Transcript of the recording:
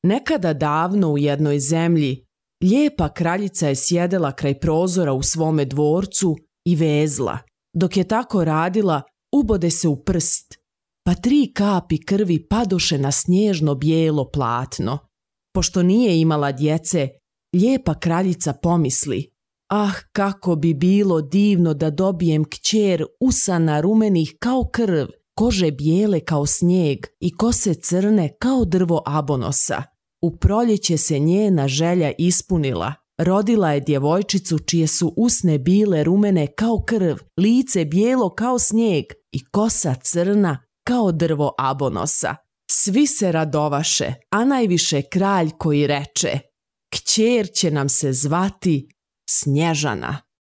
Nekada davno u jednoj zemlji, lijepa kraljica je sjedela kraj prozora u svome dvorcu i vezla. Dok je tako radila, ubode se u prst, pa 3 kapi krvi padoše na snježno bijelo platno. Pošto nije imala djece, lijepa kraljica pomisli: ah, kako bi bilo divno da dobijem kćer usana rumenih kao krv, kože bijele kao snijeg i kose crne kao drvo abonosa. U proljeće se njena želja ispunila. Rodila je djevojčicu čije su usne bile rumene kao krv, lice bijelo kao snijeg i kosa crna kao drvo abonosa. Svi se radovaše, a najviše kralj koji reče: kćer će nam se zvati Snježana.